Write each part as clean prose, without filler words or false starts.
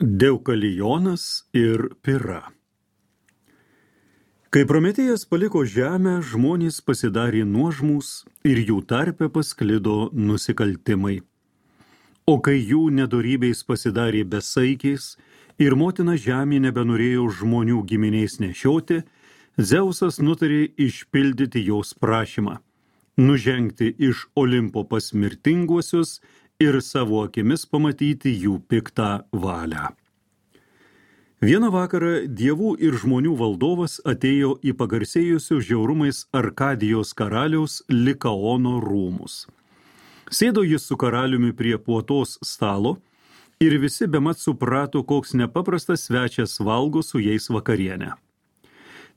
Deukalijonas ir Pira. Kai Prometėjas paliko žemę, žmonės pasidarė nuožmūs ir jų tarpe pasklido nusikaltimai. O kai jų nedorybės pasidarė besaikiais ir motina žemė nebenorėjo žmonių giminiais nešioti, Dzeusas nutarė išpildyti jos prašymą, nužengti iš Olimpo pas mirtinguosius ir savo akimis pamatyti jų piktą valią. Vieną vakarą dievų ir žmonių valdovas atėjo į pagarsėjusius žiaurumais Arkadijos karaliaus Likaono rūmus. Sėdo jis su karaliumi prie puotos stalo ir visi bemat suprato, koks nepaprastas svečias valgo su jais vakarienę.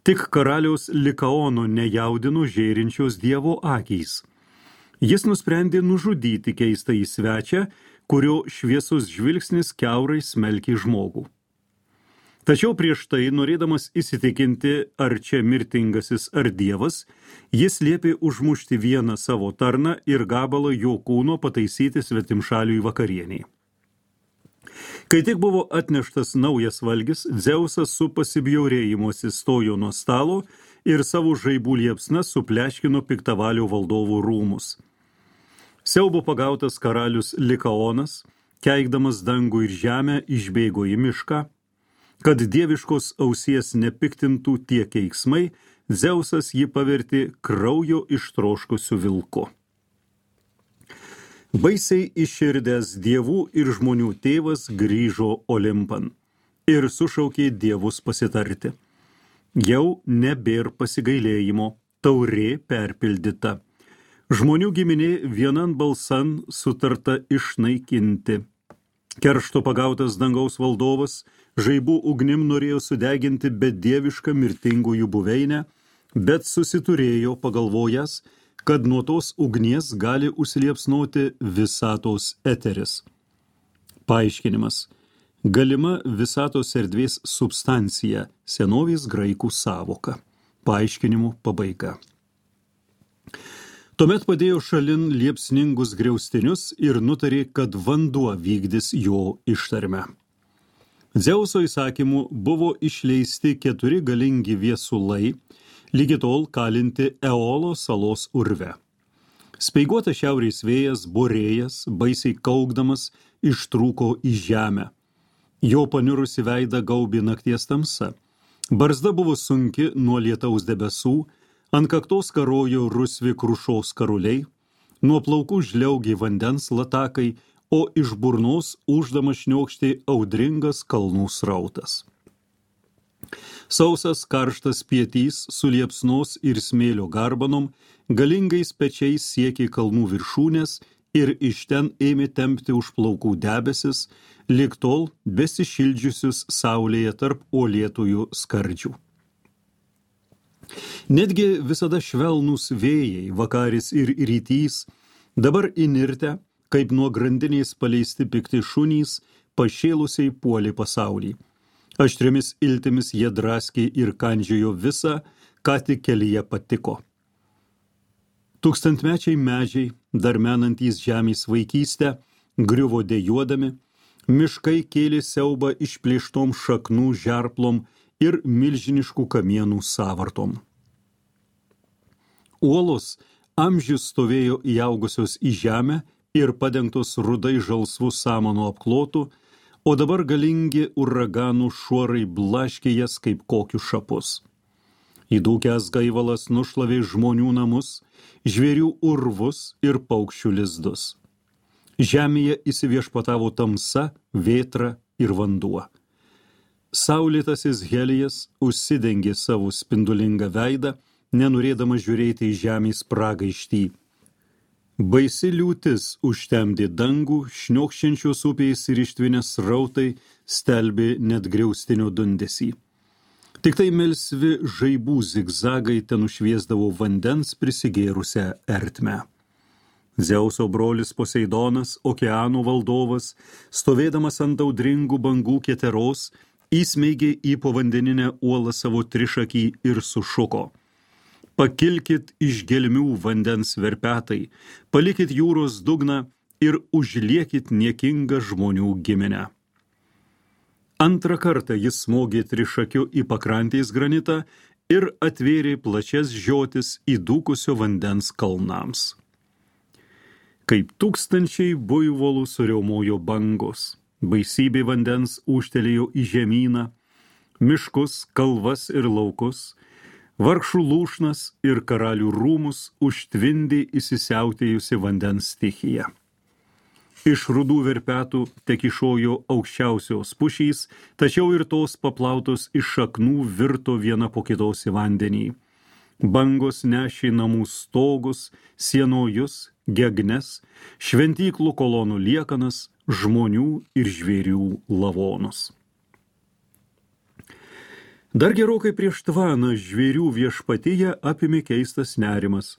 Tik karaliaus Likaono nejaudino žėrinčios dievo akys. Jis nusprendė nužudyti keistąjį svečią, kurio šviesus žvilgsnis kiaurai smelkė žmogų. Tačiau prieš tai, norėdamas įsitikinti, ar čia mirtingasis ar dievas, jis liepė užmušti vieną savo tarną ir gabalą jo kūno pataisyti svetimšaliui vakarieniai. Kai tik buvo atneštas naujas valgis, Dzeusas su pasibjaurėjimu atsistojo nuo stalo ir savo žaibų liepsna supleškino piktavalio valdovų rūmus. Siaubo pagautas karalius Likaonas, keikdamas dangų ir žemę, išbėgo į mišką. Kad dieviškos ausies nepiktintų tie keiksmai, Dzeusas jį pavertė kraujo ištroškusiu vilku. Baisiai išširdęs dievų ir žmonių tėvas grįžo Olimpan ir sušaukė dievus pasitarti. Jau nebėr pasigailėjimo, taurė perpildyta. Žmonių giminė vienan balsan sutarta išnaikinti. Keršto pagautas dangaus valdovas žaibų ugnim norėjo sudeginti bedievišką mirtingųjų buveinę, bet susiturėjo pagalvojęs, kad nuo tos ugnies gali užsiliepsnoti visatos eteris. Paaiškinimas. Galima visatos erdvės substancija, senovės graikų sąvoka. Paaiškinimų pabaiga. Tuomet padėjo šalin liepsningus griaustinius ir nutarė, kad vanduo vykdys jo ištarmę. Dzeuso įsakymu buvo išleisti 4 galingi viesulai, lygi tol kalinti Eolo salos urve. Speiguotas šiaurės vėjas, Borėjas, baisiai kaukdamas, ištrūko į žemę. Jo panirusi veidą gaubė nakties tamsa. Barzda buvo sunki nuo lietaus debesų, ant kaktos karojo rusvi krušos karuliai, nuo plaukų žliaugė vandens latakai, o iš burnos ūždamas šniokštė audringas kalnų srautas. Sausas karštas pietys su liepsnos ir smėlio garbanom, galingais pečiais siekė kalnų viršūnės ir iš ten ėmė tempti už plaukų debesis, lig tol besišildžiusius saulėje tarp uolėtųjų skardžių. Netgi visada švelnūs vėjai, vakaris ir rytys, dabar įnirtę, kaip nuo grandinės paleisti pikti šunys, pašėlusiai puolė pasaulį. Aštriomis iltimis jie draskė ir kandžiojo visą, ką tik kelyje patiko. Tūkstantmečiai medžiai, dar menantys žemės vaikystę, griuvo dejuodami, miškai kėlė siaubą išplėštom šaknų žerplom ir milžiniškų kamienų sąvartom. Uolos amžius stovėjo įaugusios į žemę ir padengtos rudai žalsvų samanų apklotų, o dabar galingi uraganų šuorai blaškė jas kaip kokius šapus. Įdūkęs gaivalas nušlavė žmonių namus, žvėrių urvus ir paukščių lizdus. Žemėje įsiviešpatavo tamsa, vėtra ir vanduo. Saulėtasis Helijas užsidengė savo spindulingą veidą, nenorėdamas žiūrėti į žemės pragaištį. Baisi liūtis užtemdė dangų, šniokščiančios upės ir ištvinės srautai stelbė net griaustinio dundesį. Tik tai melsvi žaibų zigzagai ten nušviesdavo vandens prisigėrusią ertmę. Dzeuso brolis Poseidonas, okeanų valdovas, stovėdamas ant audringų bangų keteros, įsmeigė į povandeninę uolą savo trišakį ir sušuko. Pakilkit iš gelmių vandens verpetai, palikit jūros dugną ir užliekit niekingą žmonių giminę. Antrą kartą jis smogė trišakiu į pakrantės granitą ir atvėrė plačias žiotis įdūkusio vandens kalnams. Kaip tūkstančiai buivolų suriaumojo bangos, baisybė vandens ūžtelėjo į žemyną, miškus, kalvas ir laukus, vargšų lūšnas ir karalių rūmus užtvindė įsisiautėjusi vandens stichija. Iš rudų verpetų tekišojo aukščiausios pušys, tačiau ir tos paplautos iš šaknų virto viena po kitos į vandenį. Bangos nešė namų stogus, sienojus, gegnes, šventyklų kolonų liekanas, žmonių ir žvėrių lavonus. Dar gerokai prieš tvaną žvėrių viešpatyje apėmė keistas nerimas.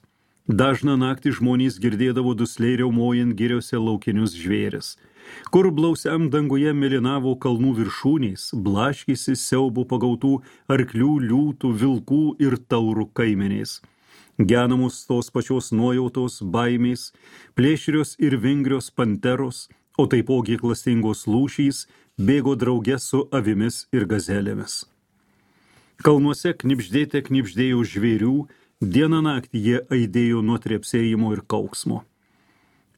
Dažną naktį žmonės girdėdavo dusliai riaumojant giriose laukinius žvėris, kur blausiam danguje mėlynavo kalnų viršūnės, blaškėsi siaubų pagautų arklių, liūtų, vilkų ir taurų kaimenės. Genamos tos pačios nuojautos, baimės, plėšrios ir vingrios panteros, o taipogi klastingos lūšys bėgo drauge su avimis ir gazelėmis. Kalnuose knibždėjo žvėrių, dieną naktį jie aidėjo nuo trepsėjimo ir kauksmo.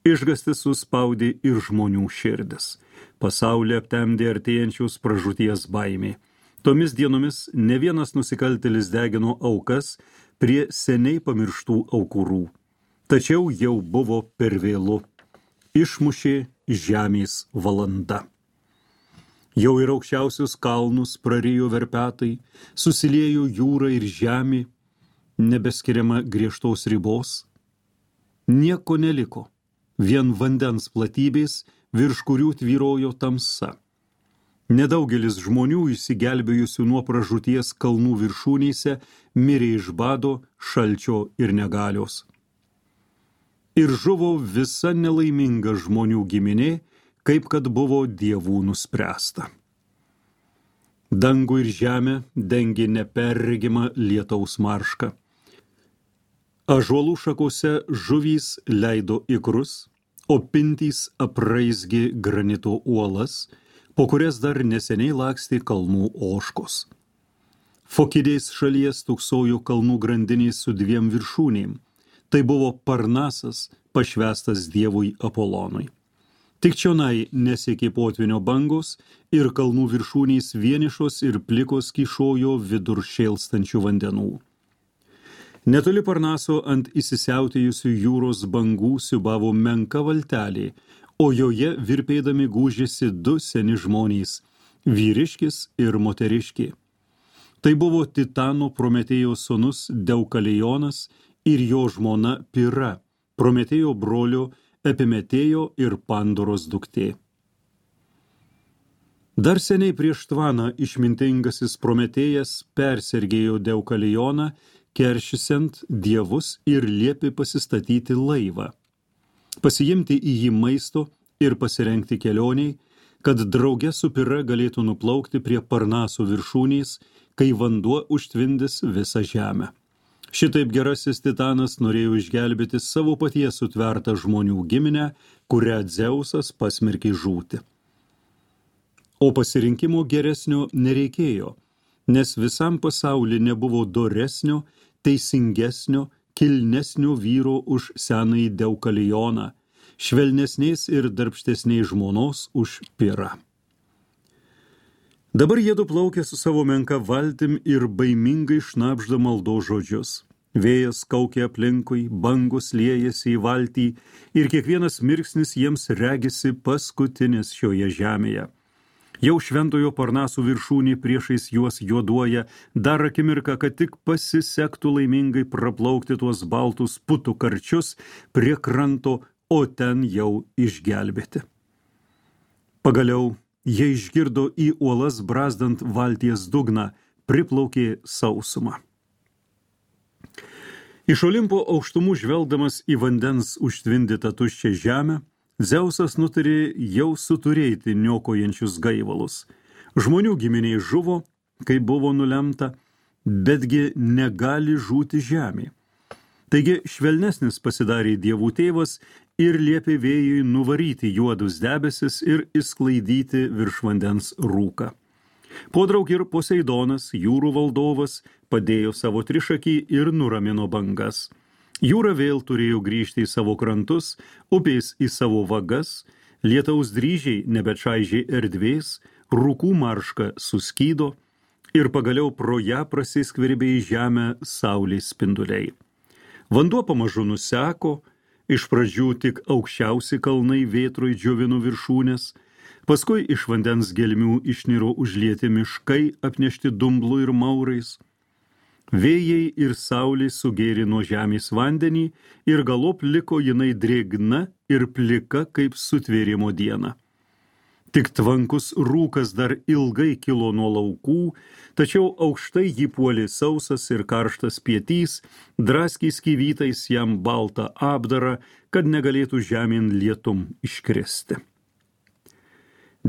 Išgastis suspaudė ir žmonių širdis. Pasaulį aptemdė artėjančios pražūties baimė. Tomis dienomis ne vienas nusikaltėlis degino aukas prie seniai pamirštų aukurų. Tačiau jau buvo per vėlu. Išmušė žemės valanda. Jau ir aukščiausius kalnus prarijo verpetai, susiliejo jūra ir žemė, nebeskiriama griežtos ribos. Nieko neliko, vien vandens platybės, virš kurių tvyrojo tamsa. Nedaugelis žmonių išsigelbėjusių nuo pražūties kalnų viršūnėse mirė iš bado, šalčio ir negalios. Ir žuvo visa nelaiminga žmonių giminė, kaip kad buvo dievų nuspręsta. Dangų ir žemę dengė neperregima lietaus marška. Ąžuolų šakose žuvys leido ikrus, o pintys apraizgė granito uolas, po kurias dar neseniai lakstė kalnų ožkos. Fokidės šalies tuksojo kalnų grandinės su dviem viršūnėm. Tai buvo Parnasas, pašvęstas dievui Apolonui. Tik čionai nesiekė potvinio bangos ir kalnų viršūnės vienišos ir plikos kyšojo vidur šėlstančių vandenų. Netoli Parnaso ant įsisiautėjusių jūros bangų siūbavo menka valtelė, o joje virpėdami gūžėsi du seni žmonės – vyriškis ir moteriškė. Tai buvo Titano Prometėjo sūnus Deukalijonas ir jo žmona Pira, Prometėjo brolio Epimetėjo ir Pandoros duktė. Dar seniai prieš tvaną išmintingasis Prometėjas persergėjo Deukalijoną, keršysiant dievus ir liepė pasistatyti laivą, pasiimti į jį maisto ir pasirengti kelioniai, kad drauge su Pira galėtų nuplaukti prie Parnaso viršūnės, kai vanduo užtvindys visą žemę. Šitaip gerasis Titanas norėjo išgelbėti savo paties sutvertą žmonių giminę, kurią Dzeusas pasmerkė žūti. O pasirinkimo geresnio nereikėjo, nes visam pasauly nebuvo doresnio, teisingesnio, kilnesnio vyro už senąjį Deukalijoną, švelnesnės ir darbštesnės žmonos už Pirą. Dabar jiedu plaukė su savo menka valtim ir baimingai šnabžda maldos žodžius. Vėjas kaukė aplinkui, bangos liejasi į valtį ir kiekvienas mirksnis jiems regisi paskutinis šioje žemėje. Jau šventojo Parnaso viršūnė priešais juos juoduoja, dar akimirką, kad tik pasisektų laimingai praplaukti tuos baltus putų karčius prie kranto, o ten jau išgelbėti. Pagaliau jie išgirdo į uolas brazdant valties dugną, priplaukė sausumą. Iš Olimpo aukštumų žvelgdamas į vandens užtvindytą tuščią žemę, Dzeusas nutarė jau suturėti niokojančius gaivalus. Žmonių giminiai žuvo, kai buvo nulemta, betgi negali žūti žemė. Taigi švelnesnis pasidarė dievų tėvas ir liepė vėjui nuvaryti juodus debesis ir išsklaidyti virš vandens rūką. Podraug ir Poseidonas, jūrų valdovas, padėjo savo trišakį ir nuramino bangas. Jūra vėl turėjo grįžti į savo krantus, upės į savo vagas, lietaus dryžiai nebečaižė erdvės, rūkų marška suskydo ir pagaliau pro ją prasiskverbė į žemę saulės spinduliai. Vanduo pamažu nuseko, iš pradžių tik aukščiausi kalnai vėtroj džiovino viršūnės, paskui iš vandens gelmių išniro užlieti miškai apnešti dumblu ir maurais. Vėjai ir saulė sugėrė nuo žemės vandenį ir galop liko jinai drėgna ir plika kaip sutvėrimo diena. Tik tvankus rūkas dar ilgai kilo nuo laukų, tačiau aukštai jį puolė sausas ir karštas pietys, draskė skyvytais jam baltą apdarą, kad negalėtų žemėn lietum iškristi.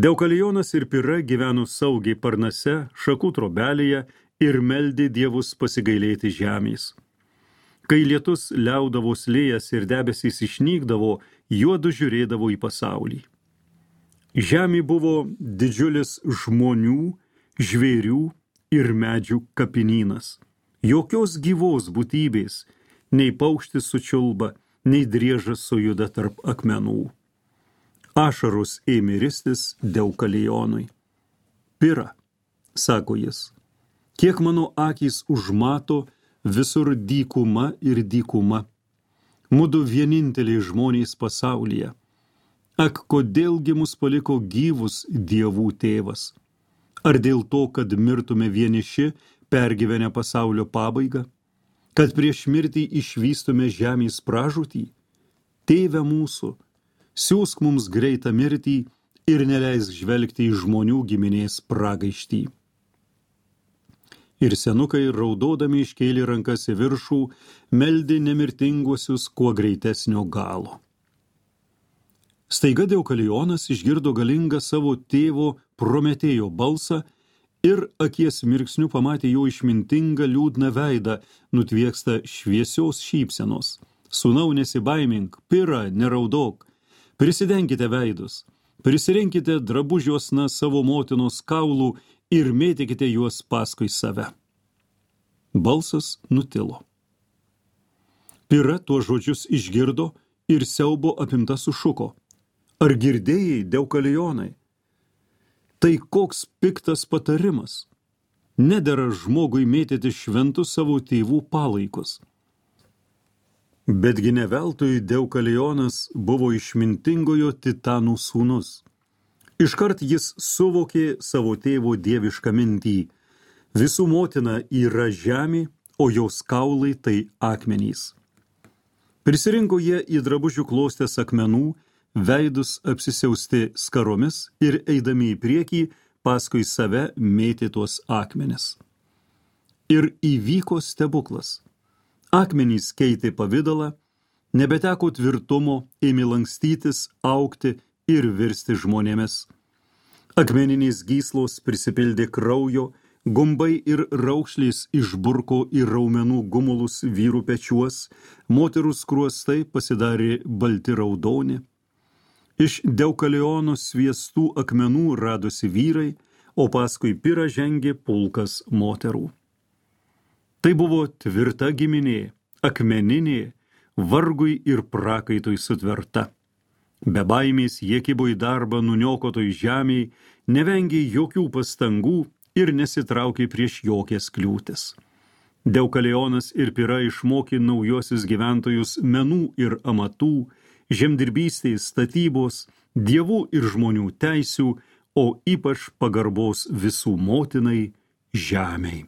Deukalijonas ir Pira gyveno saugiai Parnase, šakų trobelėje ir meldė dievus pasigailėti žemės. Kai lietus liaudavo slėjas ir debesys išnykdavo, juodu žiūrėdavo į pasaulį. Žemė buvo didžiulis žmonių, žvėrių ir medžių kapinynas. Jokios gyvos būtybės, nei paukštis sučiulba, nei driežas sujuda tarp akmenų. Ašaros ėmė ristis Deukalijonui. Pira, sako jis, kiek mano akys užmato, visur dykuma ir dykuma. Mudu vieninteliai žmonės pasaulyje. Ak, kodėlgi mus paliko gyvus dievų tėvas? Ar dėl to, kad mirtume vieniši, pergyvenę pasaulio pabaigą? Kad prieš mirtį išvystume žemės pražūtį? Tėve mūsų, siųsk mums greitą mirtį ir neleisk žvelgti į žmonių giminės pragaištį. Ir senukai, raudodami iškėlė rankas į viršų, meldė nemirtinguosius kuo greitesnio galo. Staiga Deukalijonas išgirdo galingą savo tėvo Prometėjo balsą ir akies mirksniu pamatė jo išmintingą liūdną veidą, nutviekstą šviesios šypsenos. Sūnau, nesibaimink, Pira, neraudok, prisidenkite veidus, prisirinkite drabužiuosna savo motinos kaulų ir mėtykite juos paskui save. Balsas nutilo. Pira tuos žodžius išgirdo ir siaubo apimta sušuko. Ar girdėjai, Deukalijonai? Tai koks piktas patarimas. Nedera žmogui mėtyti šventus savo tėvų palaikus. Betgi ne veltui Deukalijonas buvo išmintingojo Titanų sūnus. Iškart jis suvokė savo tėvo dievišką mintį. Visų motina yra žemė, o jos kaulai tai akmenys. Prisirinko jie į drabužių klostės akmenų, veidus apsisiausti skaromis ir eidami į priekį, paskui save mėtė tuos akmenis. Ir įvyko stebuklas. Akmenys keitė pavidalą, nebeteko tvirtumo, ėmė lankstytis, augti ir virsti žmonėmis. Akmeninės gyslos prisipildė kraujo, gumbai ir raukšlės išburko į raumenų gumulus vyrų pečiuos, moterų skruostai pasidarė balti raudoni. Iš Deukalijono sviestų akmenų radosi vyrai, o paskui Pira žengė pulkas moterų. Tai buvo tvirta giminė, akmeninė, vargui ir prakaitui sutverta. Be baimės jie kibo į darbą nuniokotoj žemėj, nevengė jokių pastangų ir nesitraukė prieš jokias kliūtis. Deukalijonas ir Pira išmokė naujuosius gyventojus menų ir amatų, žemdirbystės, statybos, dievų ir žmonių teisių, o ypač pagarbos visų motinai žemei.